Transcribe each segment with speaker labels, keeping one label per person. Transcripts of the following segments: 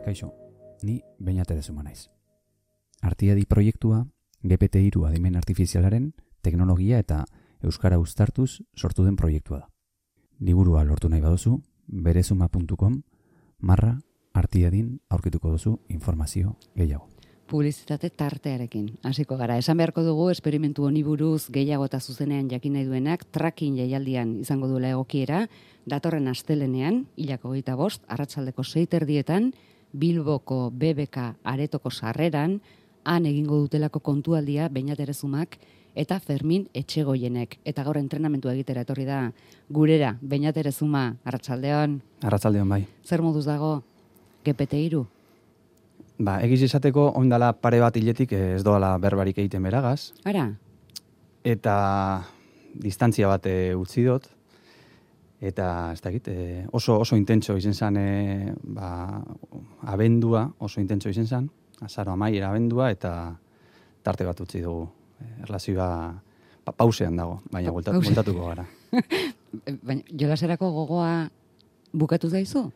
Speaker 1: Kaixo, ni Beñate Dezuma naiz. Artiadi proiektua GPT-3 adimen artifizialaren teknologia eta euskara uztartuz sortu den proiektua da. Liburua lortu nahi baduzu, berezuma.com/artiadin aurkituko duzu informazio gehiago.
Speaker 2: Publizitate tartearekin hasiko gara. Esan beharko dugu esperimentu honi buruz gehiago eta zuzenean jakin nahi duenak tracking jaialdian izango duela egokiera, datorren astelenean, 25, arratsaldeko 6:30 Bilboko BBK aretoko sarreran, han egingo dutelako kontualdia Beñat Erezumak eta Fermin Etxegoienek. Eta gaur entrenamentua egitera etorri da gurera. Beñat Erezuma, arratsaldeon.
Speaker 3: Arratsaldeon bai.
Speaker 2: Zer moduz dago GPT-3?
Speaker 3: Egiz esateko ondala pare bat hiletik ez doala berbarik egiten beragaz.
Speaker 2: Ara?
Speaker 3: Eta distantzia bat utzi dut. Eta ez dakit, oso intentso izen zen, abendua oso intentso izen zen, azaro amaiera abendua, eta tarte bat utzi dugu. Erlazioa pausean dago, baina bueltatuko gara.
Speaker 2: Baina jolaserako gogoa bukatu zaizu?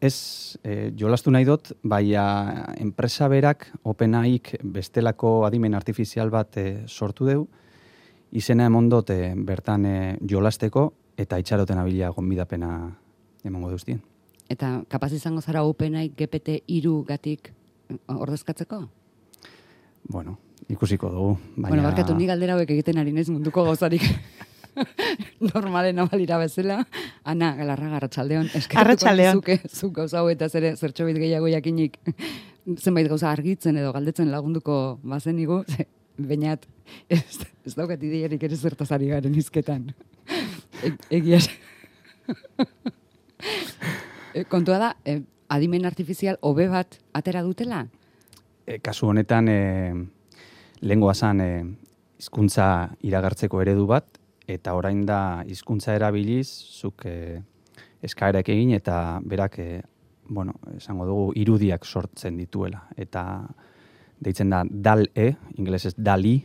Speaker 3: Ez, jolastu nahi dut, baina enpresa berak, OpenAIk bestelako adimen artifizial bat sortu deu, izena emon dut bertan jolasteko, eta itxaroten abilia gonbidapena emango duztien.
Speaker 2: Eta kapaz izango zara OpenAI GPT-3 gatik ordezkatzeko?
Speaker 3: Bueno, ikusiko dugu.
Speaker 2: Bueno, barkatu, ni galdera hauek egiten ari naiz munduko gauzarik normalen abalira bezala. Ana, Galarraga, arratsaldeon.
Speaker 4: Arratsaldeon.
Speaker 2: Zuk gauza hauetaz ere zertxobit gehiago jakinik zenbait gauza argitzen edo galdetzen lagunduko bazenigu, Beñat, ez daukat ideiarik ere zertaz ari garen hizketan. Egia. Kontua da, adimen artifizial hobe bat atera dutela?
Speaker 3: Kasu honetan, lehengoa zan hizkuntza iragartzeko eredu bat, eta orain da hizkuntza erabiliz, zuk eskaerak egin, eta berak, esango dugu, irudiak sortzen dituela. Eta deitzen da DAL-E, ingelesez DALI,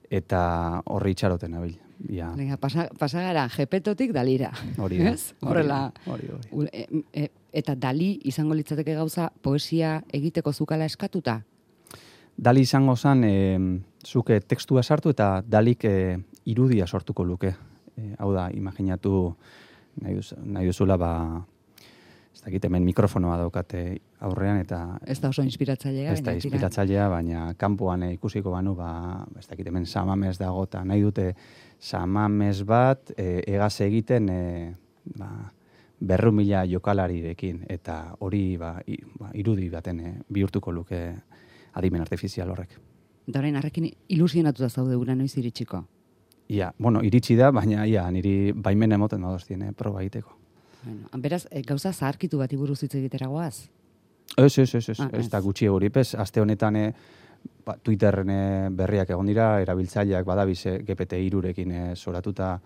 Speaker 3: eta horri itxaroten abil. Ja.
Speaker 2: Pasa gara, Gepetotik Dalira.
Speaker 3: Hori da.
Speaker 2: Horrela.
Speaker 3: Hori.
Speaker 2: Eta Dali izango litzateke gauza poesia egiteko zukala eskatuta?
Speaker 3: Dali izango zen, zuke tekstua sartu eta Dalik irudia sortuko luke. Hau da, imaginatu nahi duzula, ez dakit hemen mikrofonoa daukate aurrean, eta
Speaker 2: ez da oso inspiratzailea.
Speaker 3: Ez da inspiratzailea, baina kanpoan ikusiko banu, ez dakit hemen samamez dago, eta nahi dute samamez bat egaz egiten 200.000 jokalarirekin, eta hori irudi baten bihurtuko luke adimen artifizial horrek.
Speaker 2: Eta orain harrekin ilusionatuta zaude gura noiz iritsiko?
Speaker 3: Ia, iritsi da, baina niri baimen emoten badoztien proba egiteko.
Speaker 2: Bueno, beraz, gauza zaharkitu bati buruz hitz egitera goaz?
Speaker 3: Ez da gutxi eguripez. Aste honetan Twitterren berriak egon dira, erabiltzaileak badabiz GPT-3rekin soratuta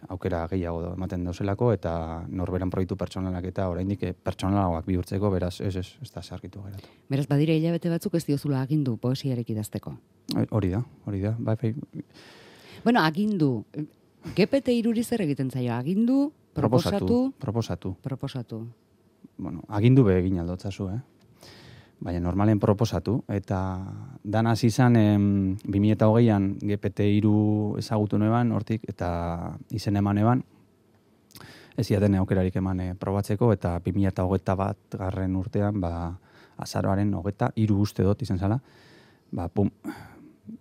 Speaker 3: aukera gehiago ematen dauzelako, eta norberan proiektu pertsonalak eta oraindik pertsonalagoak bihurtzeko, beraz, ez da zaharkitu geratu.
Speaker 2: Beraz, badire hilabete batzuk ez diozula agindu poesiarek idazteko?
Speaker 3: Hori da.
Speaker 2: Bueno, agindu. GPT-3 zer egiten zaio? Agindu? Proposatu.
Speaker 3: Bueno, agindu be egin aldotzazu, Baina normalen proposatu, eta dan hasi izan 2020an GPT-3 ezagutu neban, hortik, eta izen eman eban, ez iaten aukerarik eman probatzeko, eta 2021 garren urtean, azaroaren 23 uste dut izan zala,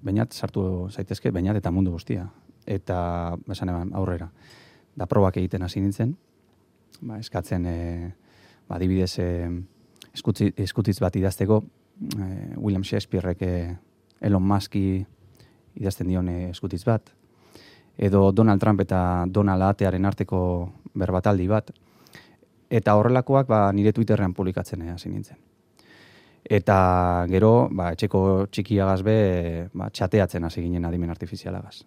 Speaker 3: Beñat sartu zaitezke, Beñat eta mundu guztia. Eta, esan eban, aurrera. Da probak egiten hasi nintzen, eskatzen, adibidez, eskutitz bat idazteko, William Shakespearek Elon Muski idazten dion eskutitz bat, edo Donald Trump eta Donald Atearen arteko berbataldi bat, eta horrelakoak nire Twitterrean publikatzen hasi nintzen. Eta gero, etxeko txikiagaz be, txateatzen hasi ginen adimen artifizialagaz.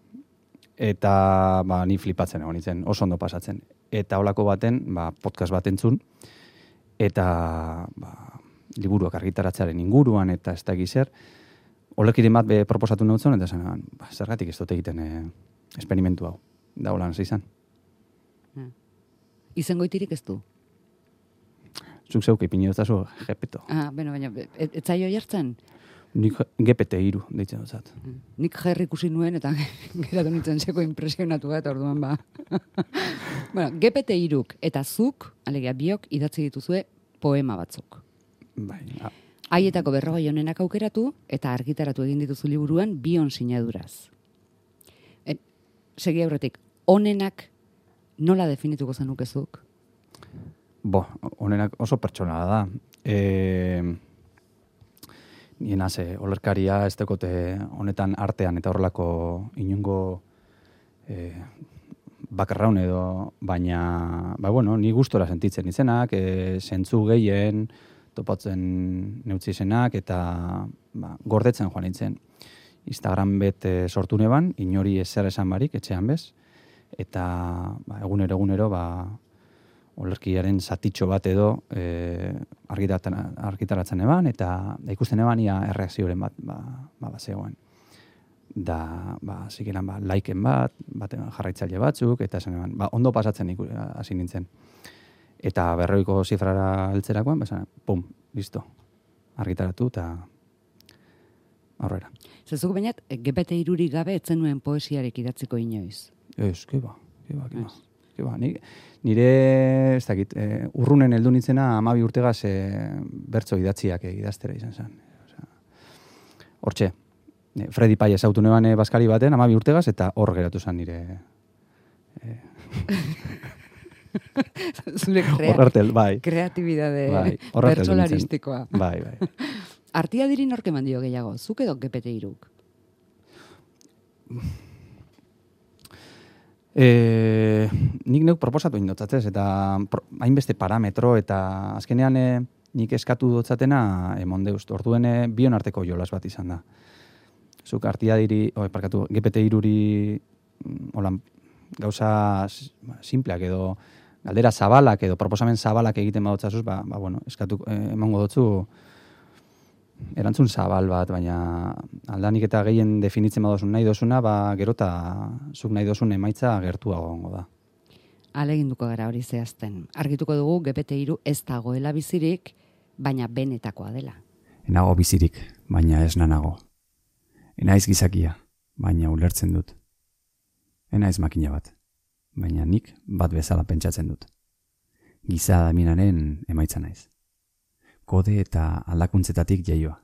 Speaker 3: Eta ni flipatzen egon nintzen, oso ondo pasatzen. Eta holako baten, podcast bat entzun, eta liburuak argitaratzearen inguruan, eta ez da egizer, olekiren bat proposatu nautzen, eta zen, zergatik ez dut egiten esperimentu hau. Da holan hasi izan.
Speaker 2: Izengoitirik ez du?
Speaker 3: Zuk zeuk ipini dutazu Gepeto.
Speaker 2: Baina, ez zaio jartzen?
Speaker 3: Nik GPT-3 deitzen dutzat.
Speaker 2: Nik Jerry ikusi nuen eta geratu nintzen zeko impresionatu eta orduan ba. Bueno, GPT-3 eta zuk, alegia biok, idatzi dituzue poema batzuk.
Speaker 3: Bai,
Speaker 2: Haietako 40 honenak aukeratu eta argitaratu egin dituzu liburuan 2 sinaduraz. Segi aurretik, honenak nola definituko zenukezuk?
Speaker 3: Honenak oso pertsonala da. Niena olerkaria ez dekote honetan artean eta horrelako inungo bakarraun edo, baina, ni gustora sentitzen izenak, zentzu gehien, topatzen neutzi izenak, eta gordetzen joan nintzen. Instagram bet sortu neban, inori ezer esan barik, etxean bez, eta egunero, olerkiaren zatitxo bat edo argitaratzen eban, eta ikusten eban ia erreakzioaren bat zegoen. Da, zikeran, liken bat jarraitzaile batzuk, eta esan eban, ondo pasatzen hasi nintzen. Eta 40ko zifrara heltzerakoan, pum, listo, argitaratu, eta aurrera.
Speaker 2: Zezuk bainat, GPT-3 gabe etzen nuen poesiarek idatziko inoiz?
Speaker 3: Ez, keba. Nire, ez dakit, urrunen heldu nintzena 12 urtegaz bertso idatziak idaztera izan zen. Hortxe, Freddy Paiez autu neban baskari baten 12 urtegaz, eta hor geratu zen nire...
Speaker 2: Zure kreatibidade pertsolaristikoa.
Speaker 3: Bai.
Speaker 2: Artia diri norke mandio gehiago, zuk edo GPT-3?
Speaker 3: Nik neuk proposatu indotzatzez, eta hainbeste parametro, eta azkenean nik eskatu dotzatena emondeust. Orduen bion arteko jolas bat izan da. Zuk artia diri, GPT-3 gauza simpleak edo galdera zabalak edo proposamen zabalak egiten badotzazuz, eskatu emango dotzu erantzun zabal bat, baina aldanik eta gehien definitzen badozun nahi dozuna, gerota zuk nahi dozun emaitza gertuago gongo da.
Speaker 2: Aleginduko gara hori zehazten. Argituko dugu GPT-3 ez dagoela bizirik, baina benetakoa dela.
Speaker 1: Enago bizirik, baina ez nanago. Enaiz gizakia, baina ulertzen dut. Enaiz makina bat, baina nik bat bezala pentsatzen dut. Giza adaminaren emaitza naiz. Kode eta aldakuntzetatik jaioa.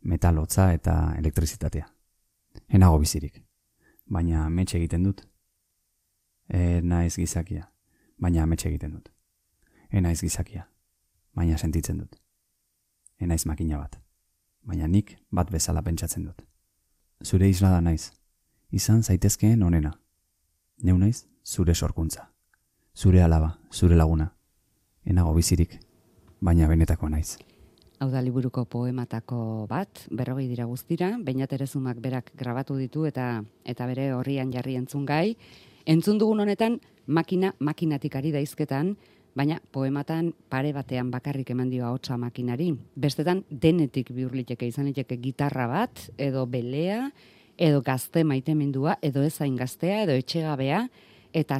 Speaker 1: Metalotza eta elektrizitatea. Enago bizirik, baina ametxe egiten dut. Enaiz gizakia, baina ametxe egiten dut. Enaiz gizakia, baina sentitzen dut. Enaiz makina bat, baina nik bat bezala pentsatzen dut. Zure islada naiz, izan zaitezkeen onena. Neu naiz, zure sorkuntza. Zure alaba, zure laguna. Enago bizirik, baina benetako naiz.
Speaker 2: Hau da liburuko poematako bat, 40 dira guztira, Beñat Erezumak berak grabatu ditu eta bere horrian jarri entzun gai. Entzun dugun honetan, makinatik ari daizketan, baina poematan pare batean bakarrik eman dio ahotsa makinari. Bestetan denetik bihurliteke izan liteke gitarra bat, edo belea, edo gazte maitemendua, edo ezain gaztea, edo etxegabea, eta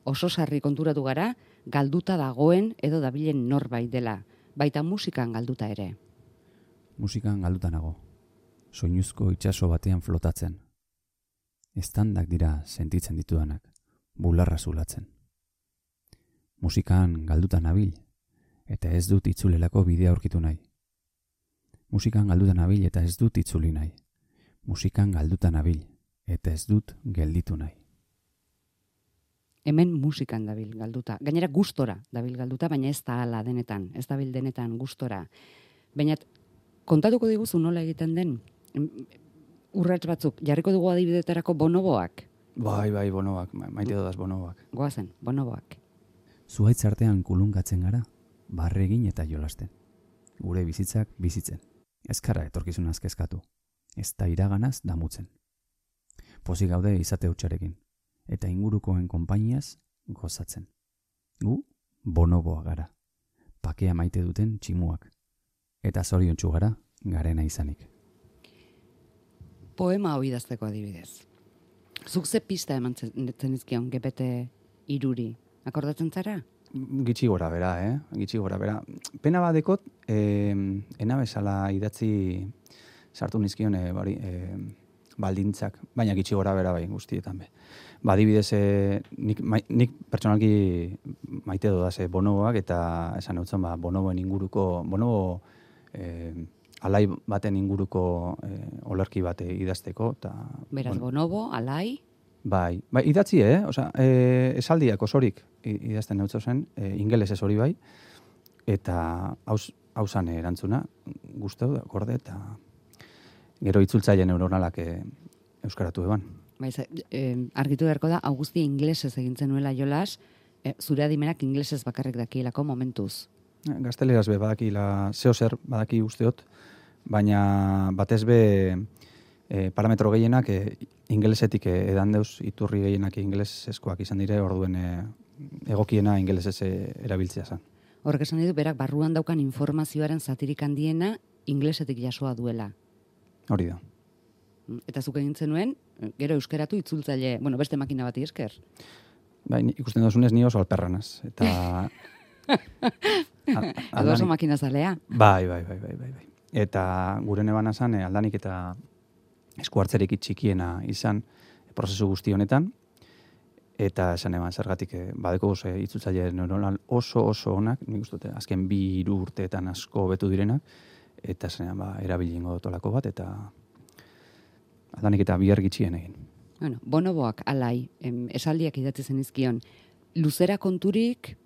Speaker 2: oso sarri konturatu gara, galduta dagoen edo dabilen norbait dela. Baita musikan galduta ere.
Speaker 1: Musikan galduta nago. Soinuzko itsaso batean flotatzen. Eztandak dira sentitzen ditudanak, bularra zulatzen. Musikan galduta nabil, eta ez dut itzulelako bidea aurkitu nahi. Musikan galduta nabil, eta ez dut itzuli nahi. Musikan galduta nabil, eta ez dut gelditu nahi.
Speaker 2: Hemen musikan dabil galduta. Gainera gustora dabil galduta, baina ez da hala denetan. Ez dabil denetan gustora. Baina kontatuko diguzu nola egiten den? Urrats batzuk, jarriko dugu adibidetarako bonoboak?
Speaker 3: Bai, bonoboak. Maite dodaz bonoboak.
Speaker 2: Goazen, bonoboak.
Speaker 1: Zuhaitz artean kulungatzen gara, barregin eta jolasten. Gure bizitzak bizitzen. Ezkara etorkizunaz kezkatu. Ez da iraganaz damutzen. Pozik gaude izate hutsarekin. Eta ingurukoen konpainiaz gozatzen. Gu bonoboa gara. Pakea maite duten tximuak. Eta zoriontsu gara garena izanik.
Speaker 2: Poema hau idazteko adibidez. Zuk ze pista eman zenizkion GPT-3? Akordatzen zara?
Speaker 3: Gitxi gora bera, Gitxi gora bera. Pena badekot, ena bezala idatzi sartu nizkion baldintzak, baina gitxi gora bera bai guztietan be. Adibidez, nik pertsonalki maite dodaz bonoboak, eta esan eutzen bonoboen inguruko, bonobo alai baten inguruko olerki bat idazteko.
Speaker 2: Beraz, bonobo, alai?
Speaker 3: Bai, idatzi, esaldiak osorik idazten neutzo zen, ingeles ez hori bai, eta hausan erantzuna, guztau da, gorde, eta gero itzultzaile neuronalak euskaratu eban.
Speaker 2: Argitu beharko da, Augusti inglesez egintzen nuela jolas, zure adimenak inglesez bakarrik dakielako momentuz.
Speaker 3: Gazteleraz be badakila, zehozer badaki usteot, baina batez be parametro gehienak ingelesetik edan deuz, iturri gehienak ingelesezkoak izan dire, orduen egokiena ingelesez erabiltzea zen.
Speaker 2: Horrek esan ditu, berak barruan daukan informazioaren zatirik handiena inglesetik jasoa duela.
Speaker 3: Hori da.
Speaker 2: Eta zuk egin zenuen, gero euskeratu itzultzaile, beste makina bati esker.
Speaker 3: Bai, ikusten dozunez ni oso alperranaz. Eta
Speaker 2: Edo oso makina zalea.
Speaker 3: Bai. Eta gure nebana zan, aldanik eta esku hartzerik txikiena izan prozesu guzti honetan, eta esan eban zergatik badeko itzultzaile neuronal oso onak, nik uste azken 2 urteetan asko betu direnak, eta esan erabilingo dotolako bat, eta aldanik eta bihar gitxien egin.
Speaker 2: Bonoboak alai, esaldiak idatzi zenizkion, luzera konturik,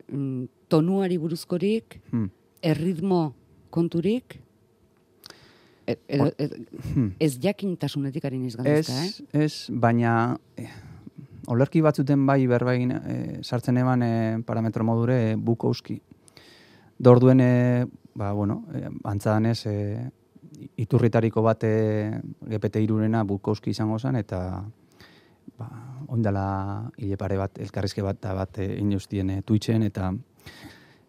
Speaker 2: tonuari buruzkorik, erritmo konturik, ez jakintasunetik ari niz galdezka,
Speaker 3: Ez, baina olerki batzuten bai berbain sartzen eban parametro modure Bukowski. Dorduen, antzadanez, iturritariko bat GPT-3 Bukowski izango zen, eta oindala hilepare bat, elkarrizke bat inustien Twitchen, eta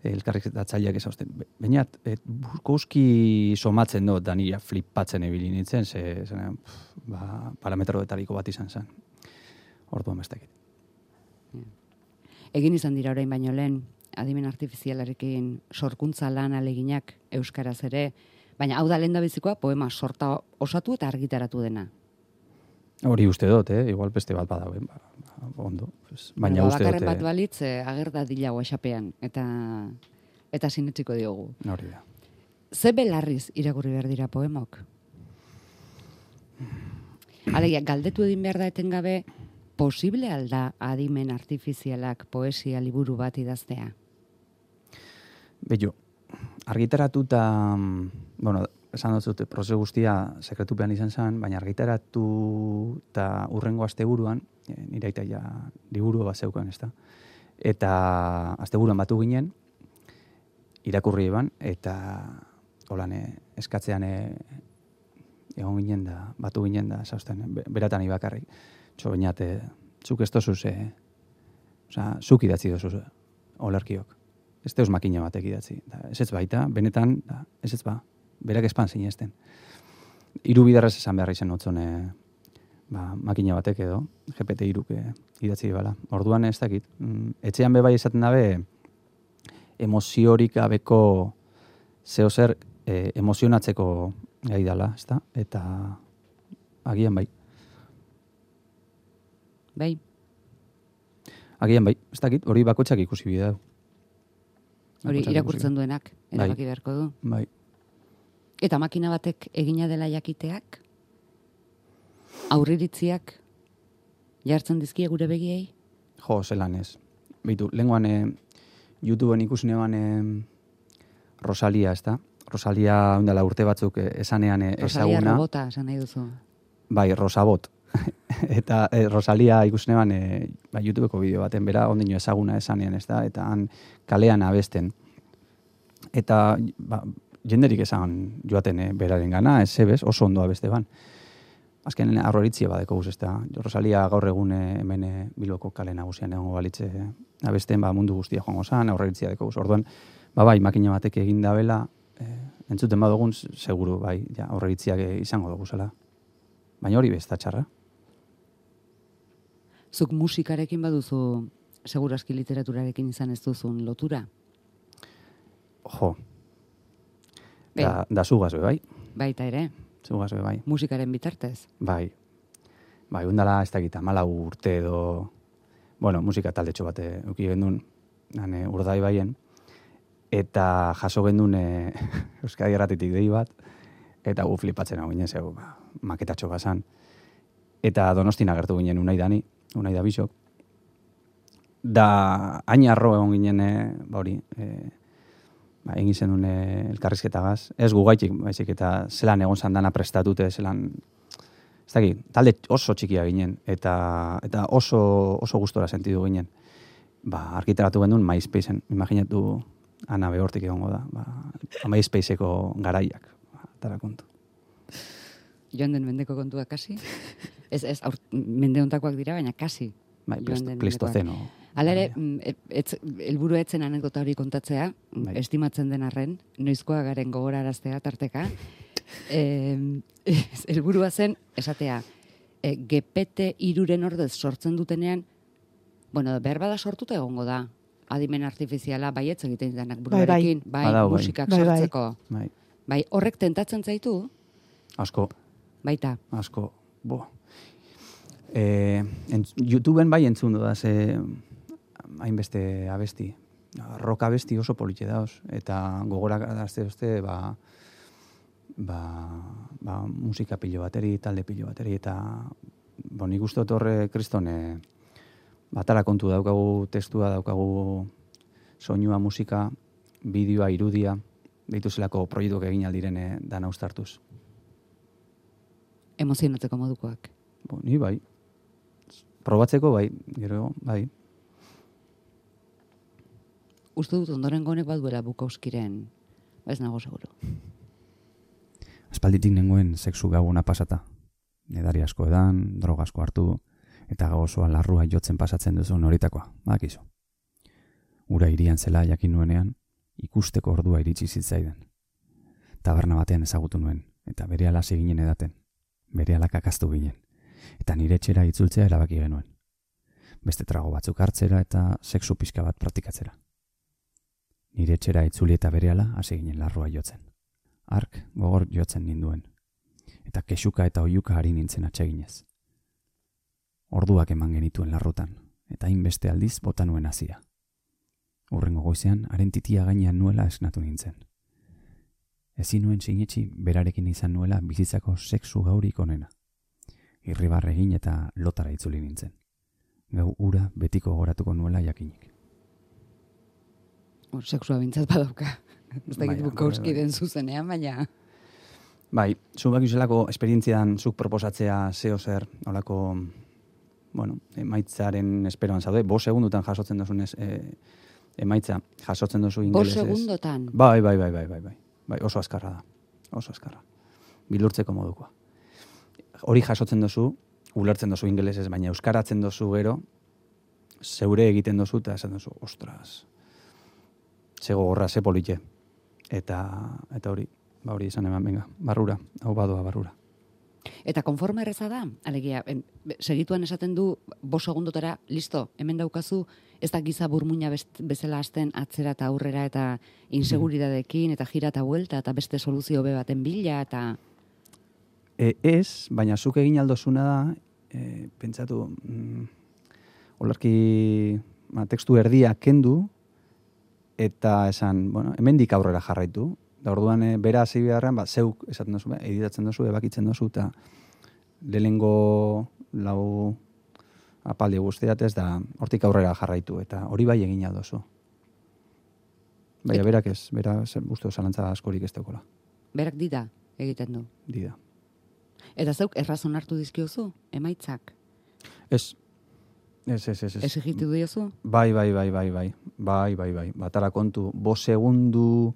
Speaker 3: elkarrizketatzaileak ezauzten. Bainat, Bukowski somatzen dut, da nira flipatzen ebili nintzen, parametroetariko bat izan zen. Orduan bestekit.
Speaker 2: Egin izan dira orain baino lehen, adimen artifizialarekin sorkuntza lan aleginak euskaraz ere, baina hau da lehendabizikoa poema sorta osatu eta argitaratu dena.
Speaker 3: Hori uste dut, igual beste bat badago, ondo. Baina uste dut.
Speaker 2: Bakarren bat balitz, agerda dila guaxapean, eta sinetziko diogu.
Speaker 3: Hori da.
Speaker 2: Ze belarriz irakurri behar dira poemok? Alegia, galdetu edin behar da etengabe, posible alda adimen artifizialak poesia liburu bat idaztea?
Speaker 3: Bello, argitaratuta, esan dut zute, prozesu guztia sekretupean izan zen, baina argitaratu eta urrengo asteburuan, nire aita ja liburu bat zeukan, ez da? Eta asteburuan batu ginen, irakurri eban, eta holan eskatzean egon ginen da, batu ginen da, zausten, beratan ibakarrik. Baina, zuk ez dozuz, zuk idatzi dozuz olerkiok. Ez deus makina batek idatzi. Ez ez baita, benetan, ez ez ba. Berak espan zinezten. 3 bidarrez esan behar izan notzon makina batek edo, GPT-3 idatzi bala. Orduan ez dakit. Etxean bebai esaten dabe, emoziorik gabeko zehozer emozionatzeko gai dala, ez da? Eta agian bai.
Speaker 2: Bai?
Speaker 3: Agian bai, ez dakit, hori bakoitzak ikusi bidea.
Speaker 2: Hori irakurtzen duenak, erabaki beharko du.
Speaker 3: Bai.
Speaker 2: Eta makina batek egina dela jakiteak, aurriritziak jartzen dizkie gure begiei?
Speaker 3: Jo, zelan ez. Beitu, lenguan YouTubeen ikusinean Rosalia, ez da? Rosalia ondala urte batzuk esanean ezaguna.
Speaker 2: Rosalia robota, esan nahi duzu.
Speaker 3: Bai, Rosabot. Eta Rosalia ikusinean YouTubeko bideo baten bera, ondino ezaguna esanean, ez da? Eta han kalean abesten. Eta jenderik esan joaten beraren gana, ez zebez, oso ondo abeste ban. Azken aurroritzia badeko guz, ez da? Rosalia gaur egun hemen Bilboko kale nagusian egongo balitze abesten, mundu guztia joango zan, aurroritzia deko guz. Orduan, bai, makina batek egin dabela, entzuten badugun, seguru, bai, aurreritziak izango dugu zela. Baina hori bezta txarra.
Speaker 2: Zuk musikarekin baduzu segurazki literaturarekin izan ez duzun lotura.
Speaker 3: Jo. Da zugaz be, bai?
Speaker 2: Baita ere,
Speaker 3: Zugaz be, bai.
Speaker 2: musikaren bitartez.
Speaker 3: Bai. Bai, undala ez dakit, 14 urte edo, bueno, musika taldetxo bat eduki gendun, Urdaibaien, eta jaso gendun Euskadi Irratitik dei bat, eta gu flipatzen hau ginen, zeu, maketatxo bazan. Eta Donostin agertu ginen Unai da Bisok. Da, hain arro egon ginen, egin zenun elkarrizketagaz. Ez gugaitik, baizik, eta zelan egon zandana prestatute, zelan, ez dakit, talde oso txikia ginen, eta oso gustora sentidu ginen. Argitaratu gendun MySpaceen, imaginatu Ana behortik egongo da, MySpaceeko garaiak, tara kontu.
Speaker 2: Joan den mendeko kontua kasi? Ez, mende hontakoak dira, baina kasi.
Speaker 3: Bai, Pleistoceno.
Speaker 2: Hala ere, helburu etzen anekdota hori kontatzea, estimatzen den arren, noizkoa garen gogoraraztea tarteka. Helburua zen, esatea, GPT-3 ordez sortzen dutenean, bueno, behar bada sortuta egongo da, adimen artifiziala baietz egiten denak buruarekin, musikak sortzeko. Bai, horrek tentatzen zaitu?
Speaker 3: Asko.
Speaker 2: Baita.
Speaker 3: Asko, YouTubeen bai entzun da, hainbeste abesti. Rock abesti oso politxe dauz. Eta gogorak adazte uste, musika pilo bateri, talde pilo bateri, eta nik uste horre kristone batara kontu daukagu, testua daukagu, soinua, musika, bideoa, irudia, dituzelako proiektuak egin aldiren dana ustartuz.
Speaker 2: Emozionatzeko modukoak.
Speaker 3: Ni bai. Probatzeko bai, gero bai.
Speaker 2: Uste dut ondoren gonek baduela Bukowskiren, ez nago seguro.
Speaker 1: Aspalditik nengoen sexu gabuna pasata. Edari asko edan, droga asko hartu, eta gau osoa larrua jotzen pasatzen duzu noritakoa, badakizu. Ura irian zela jakin nuenean, ikusteko ordua iritsi zitzaiden. Taberna batean ezagutu nuen, eta berehala hasi ginen edaten. Berehala kakaztu ginen, eta nire etxera itzultzea erabaki genuen. Beste trago batzuk hartzera eta sexu pixka bat praktikatzera. Nire etxera itzuli eta berehala hasi ginen larrua jotzen. Ark gogor jotzen ninduen, eta kexuka eta oiuka ari nintzen atseginez. Orduak eman genituen larrutan, eta hainbeste aldiz bota nuen hazia. Hurrengo goizean, haren titia gainean nuela esnatu nintzen. Ezin nuen sinetxi berarekin izan nuela bizitzako sexu gaurik onena. Irribarre egin eta lotara itzuli nintzen. Gau ura betiko goratuko nuela jakinik.
Speaker 2: Sexua bintzat badauka. Ez da gitu Bukowskiren zuzenean, baina...
Speaker 3: Bai, zubak izelako esperientzian zuk proposatzea zeo zer, holako, emaitzaren esperoan zaude, 5 segundutan jasotzen duzunez emaitza, jasotzen duzu ingelesez.
Speaker 2: 5 segundotan?
Speaker 3: Bai, oso azkarra da, oso azkarra. Bilurtzeko modukoa. Hori jasotzen duzu, ulertzen duzu ingelesez, baina euskaratzen duzu gero, zeure egiten duzu, eta esan duzu, ostras, ze gogorra, ze politxe. Eta hori, hori izan eman, venga, barrura, hau badoa barrura.
Speaker 2: Eta konforme erreza da, alegia, segituan esaten du 5 segundotara, listo, hemen daukazu, ez da giza burmuina bezala hasten atzera eta aurrera eta inseguridadekin eta jira eta buelta eta beste soluzio be baten bila eta...
Speaker 3: Ez, baina zuk egin aldozuna da, pentsatu, olarki tekstu erdia kendu eta esan, hemendik aurrera jarraitu. Da orduan, bera hasi beharrean, zeuk esaten duzu, editatzen duzu, ebakitzen duzu, eta lehenengo lau apaldi guztiatez, da hortik aurrera jarraitu, eta hori bai egin aldozu. Baina berak ez, uste zalantza askorik ez daukola.
Speaker 2: Berak dida egiten du?
Speaker 3: Dida.
Speaker 2: Eta zeuk errazon hartu dizkiozu, emaitzak?
Speaker 3: Ez. Ez.
Speaker 2: Ez egitu diozu?
Speaker 3: Bai. Batara kontu, 5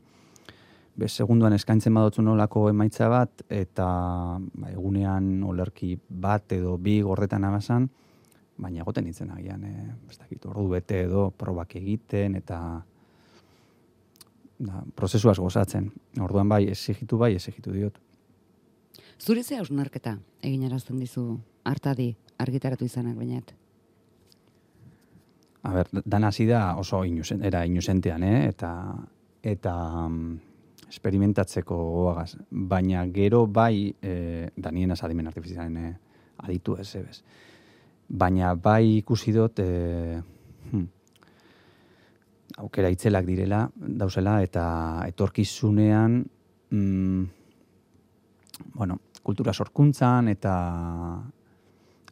Speaker 3: segunduan eskaintzen badotzu nolako emaitza bat, eta egunean olerki bat edo 2 gordetan abazan, baina egoten nintzen agian, ez dakit, ordu bete edo probak egiten, eta prozesuaz gozatzen. Orduan bai, exigitu diot.
Speaker 2: Zure ze hausnarketa egin arazten dizu hartadi argitaratu izanak bainat?
Speaker 3: dan hasi da oso inusentean, eta experimentatzeko goagaz. Baina gero bai, danienaz adimen artifizialen aditu ez. Baina bai ikusi dut, aukera itzelak direla, dauzela, eta etorkizunean, kultura sorkuntzan, eta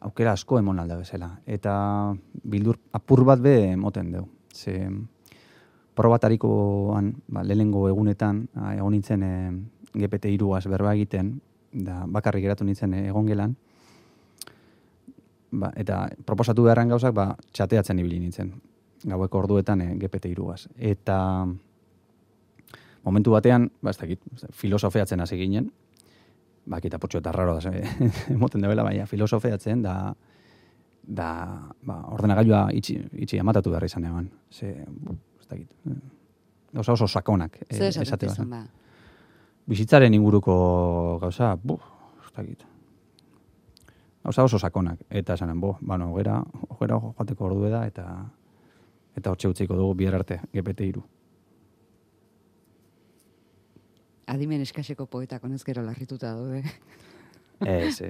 Speaker 3: aukera asko emon alda bezala. Eta bildur apur bat be emoten deu. Ze probatarikoan, lehenengo egunetan, egon nintzen GPT-3 berba egiten, da bakarrik geratu nintzen egon gelan, eta proposatu beharren gauzak, txateatzen ibili nintzen. Gaueko orduetan GPT-3. Eta momentu batean, ez dakit, filosofeatzen hasi ginen, eta potxo eta raro da, emoten debela, baina filosofeatzen, da ordenagailua itxi amatatu behar izan eban. Ez dakit, gauza oso sakonak.
Speaker 2: Zer esaten izan ba?
Speaker 3: Bizitzaren inguruko gauza, ez dakit. Gauza oso sakonak. Eta esanen, hogera joateko ordu da, eta hortxe utziko dugu bihar arte, GPT-3.
Speaker 2: Adimen eskaseko poetak honez gero larrituta daude.
Speaker 3: Ez.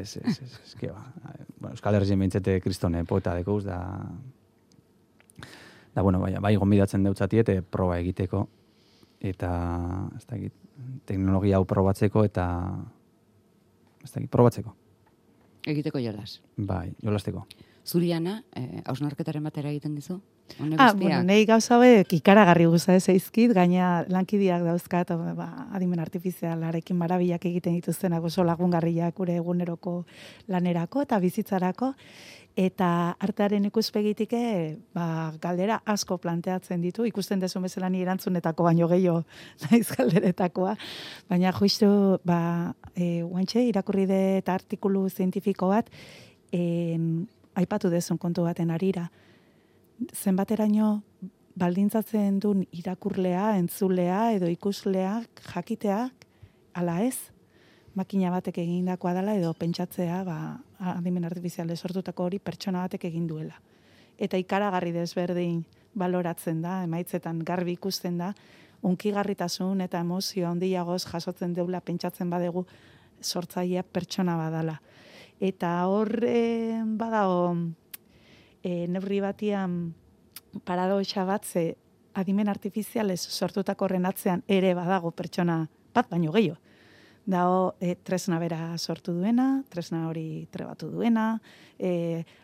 Speaker 3: Euskal Herrien behintzete kristone poeta dekouz, bai gonbidatzen deutzatiet, proba egiteko, eta ez dakit, teknologia hau probatzeko, eta ez dakit, probatzeko.
Speaker 2: Egiteko jolas.
Speaker 3: Bai, jolasteko.
Speaker 2: Zuriana, hausnarketaren batera egiten dizu?
Speaker 4: Nahi gauza hauek ikaragarri guza ez eizkit, gaina lankideak dauzkat, adimen artifizialarekin marabilak egiten dituztenak oso lagungarriak gure eguneroko lanerako eta bizitzarako, eta artearen ikuspegitik galdera asko planteatzen ditu, ikusten dezu bezala ni erantzunetako baino gehiago naiz galderetakoa, baina justu guantxe irakurri dut artikulu zientifiko bat, aipatu dezun kontu baten arira. Zenbateraino baldintzatzen duen irakurlea, entzulea edo ikusleak jakiteak, ala ez, makina batek egindakoa dela edo pentsatzea adimen artifiziale sortutako hori pertsona batek egin duela. Eta ikaragarri desberdin baloratzen da, emaitzetan garbi ikusten da, unkigarritasun eta emozio handiagoz jasotzen deula pentsatzen badegu sortzailea pertsona badala. Eta hor badago neurri batian paradoxa bat, ze adimen artifizialez sortutako horren atzean ere badago pertsona bat baino gehiago. Dago tresna bera sortu duena, tresna hori trebatu duena,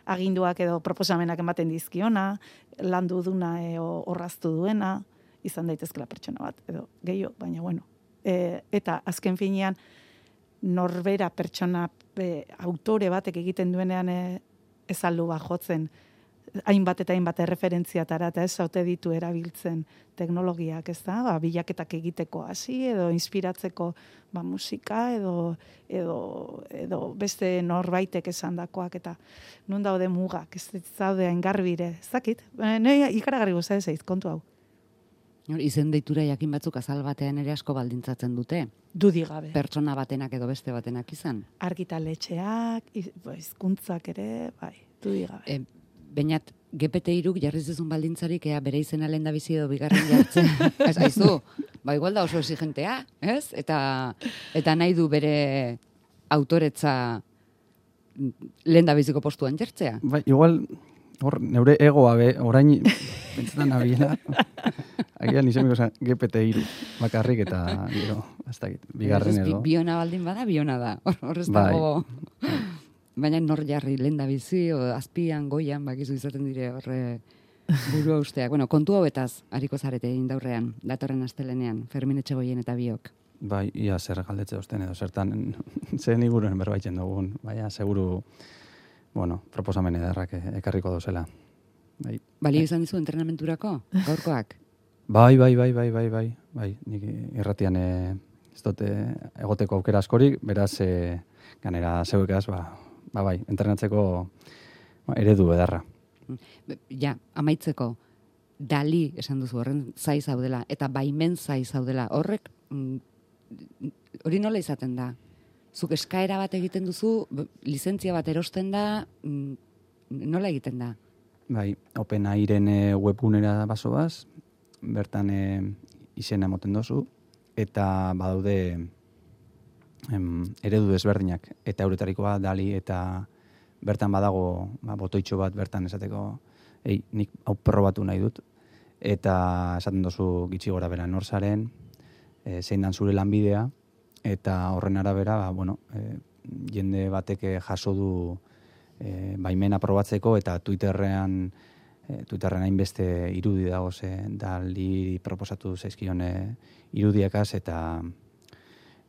Speaker 4: aginduak edo proposamenak ematen dizkiona, landu duna orraztu duena, izan daitezkela pertsona bat, edo gehiago, baina bueno. Eta azken finean, norbera pertsona autore batek egiten duenean ez aldu jotzen hainbat eta hainbat erreferentziatara eta ez zaute ditu erabiltzen teknologiak, ez da? Bilaketak egiteko hasi edo inspiratzeko musika edo beste norbaitek esandakoak eta non daude mugak, ez zaude haingarbire, ez dakit? Ikaragarri goza ez eiz, kontu hau.
Speaker 2: Izen deitura jakin batzuk azal batean ere asko baldintzatzen dute.
Speaker 4: Dudi gabe.
Speaker 2: Pertsona batenak edo beste batenak izan.
Speaker 4: Argitaletxeak, hizkuntzak ere, bai, dudi gabe.
Speaker 2: Bainat, GPT-3 jarriz duzun baldintzarik bere izena lehen da bizi edo bigarren jartzen. Ez aizu, igual da oso exigentea, ez? Eta nahi du bere autoretza lehen da biziko postuan jartzea.
Speaker 3: Igual, neure egoa orain pentsetan nabiela. Agian izemiko zen GPT-3 bakarrik eta ez dakit, bigarren edo.
Speaker 2: Biona baldin bada, biona da. Horrez dago... Baina nor jarri lehen da bizi, azpian, goian, bakizu izaten dire horre burua usteak. Bueno, kontu hauetaz, hariko zarete indaurrean, datorren astelenean, Fermin Etxegoien eta biok.
Speaker 3: Bai, ia zer galdetze osten edo, zertan, zen iguruen berbaitzen dugun, baina, seguru, proposamen ederrak ekarriko dozela.
Speaker 2: Balio izan dizu entrenamenturako, gaurkoak?
Speaker 3: Bai, nik irratian ez dute egoteko aukera askorik, beraz, ganera zeuekaz, bai, entrenatzeko eredu edarra.
Speaker 2: Ja, amaitzeko, Dali esan duzu horren zai zaudela, eta baimen zai zaudela, horrek, hori nola izaten da? Zuk eskaera bat egiten duzu, lizentzia bat erosten da, nola egiten da?
Speaker 3: bai, OpenAIren webgunera basoaz, bertan izena emoten dozu, eta badaude eredu desberdinak, eta euretarikoa dali, eta bertan badago botoitxo bat bertan esateko, nik hau probatu nahi dut, eta esaten dozu gitxi gora bera norzaren, zein dan zure lanbidea, eta horren arabera, jende batek jaso du baimena probatzeko, eta Twitterren hainbeste irudi dago dali proposatu zaizkion irudiakaz, eta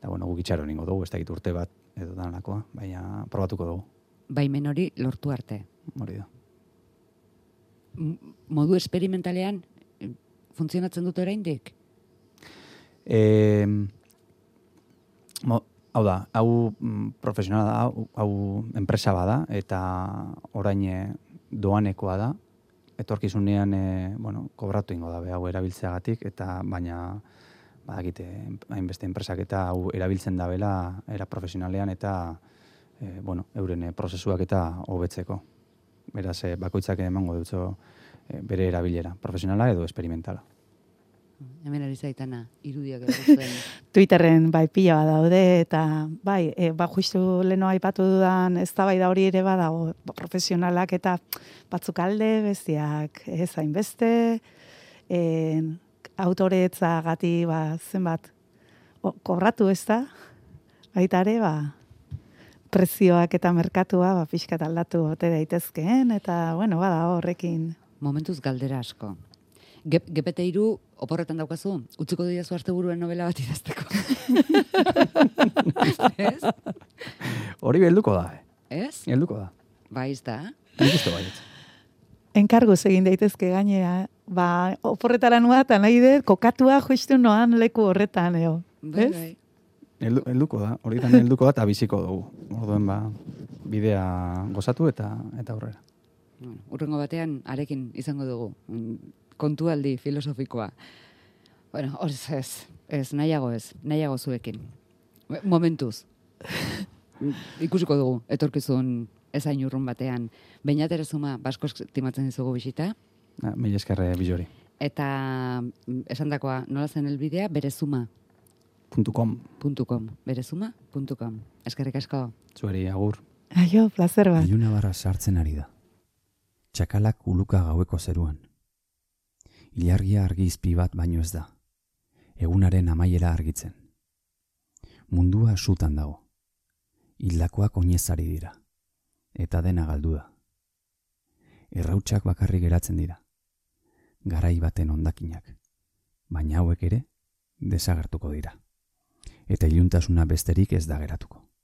Speaker 3: guk itxaron ingo dugu, ez dakit urte bat edo danakoa, baina probatuko dugu.
Speaker 2: Baimen hori lortu arte.
Speaker 3: Hori da.
Speaker 2: Modu esperimentalean funtzionatzen dute oraindik?
Speaker 3: Hau da, hau profesionala da, hau enpresa bada, eta orain doanekoa da, etorkizunean kobratu ingo da, hau erabiltzeagatik, eta baina badakite hainbeste enpresak eta hau erabiltzen dabela era profesionalean eta euren prozesuak eta hobetzeko. Beraz, bakoitzak emango dutzo bere erabilera, profesionala edo esperimentala.
Speaker 2: Hemen ari zaitana, irudiak edo
Speaker 4: Twitterren pila bat daude, eta justu leno aipatu dudan eztabaida hori ere badago, profesionalak eta batzuk alde, bestiak ez hainbeste, autoretzagati zenbat kobratu ez da, baita ere, prezioak eta merkatua pixkat aldatu ote daitezkeen, eta bada horrekin.
Speaker 2: Momentuz galdera asko. GPT-3 oporretan daukazu, utziko didazu asteburuen novela bat idazteko. Ez?
Speaker 3: Hori helduko da,
Speaker 2: Ez?
Speaker 3: Helduko da.
Speaker 2: Bai, da.
Speaker 3: Nik uste baiet.
Speaker 4: Enkarguz egin daitezke gainera, oporretara nua eta nahi dut, kokatua justu noan leku horretan,
Speaker 2: Bai.
Speaker 3: Helduko da, horietan helduko da eta biziko dugu. Orduen bidea gozatu eta aurrera.
Speaker 2: Urrengo batean arekin izango dugu. Kontualdi filosofikoa. Ez, nahiago zuekin. Momentuz. Ikusiko dugu, etorkizun ezain urrun batean. Beñat Erezuma, basko estimatzen dizugu bisita.
Speaker 3: Mila eskerre bilori.
Speaker 2: Eta esandakoa, nola zen elbidea, berezuma.com. Berezuma.com. Eskerrik asko.
Speaker 3: Zuari, agur.
Speaker 4: Aio, placer bat.
Speaker 1: Iluna barra sartzen ari da. Txakalak uluka gaueko zeruan. Ilargia argizpi bat baino ez da. Egunaren amaiera argitzen. Mundua sutan dago. Hildakoak oinezari dira. Eta dena galdu da. Errautsak bakarrik geratzen dira. Garai baten hondakinak. Baina hauek ere desagertuko dira. Eta iluntasuna besterik ez da geratuko.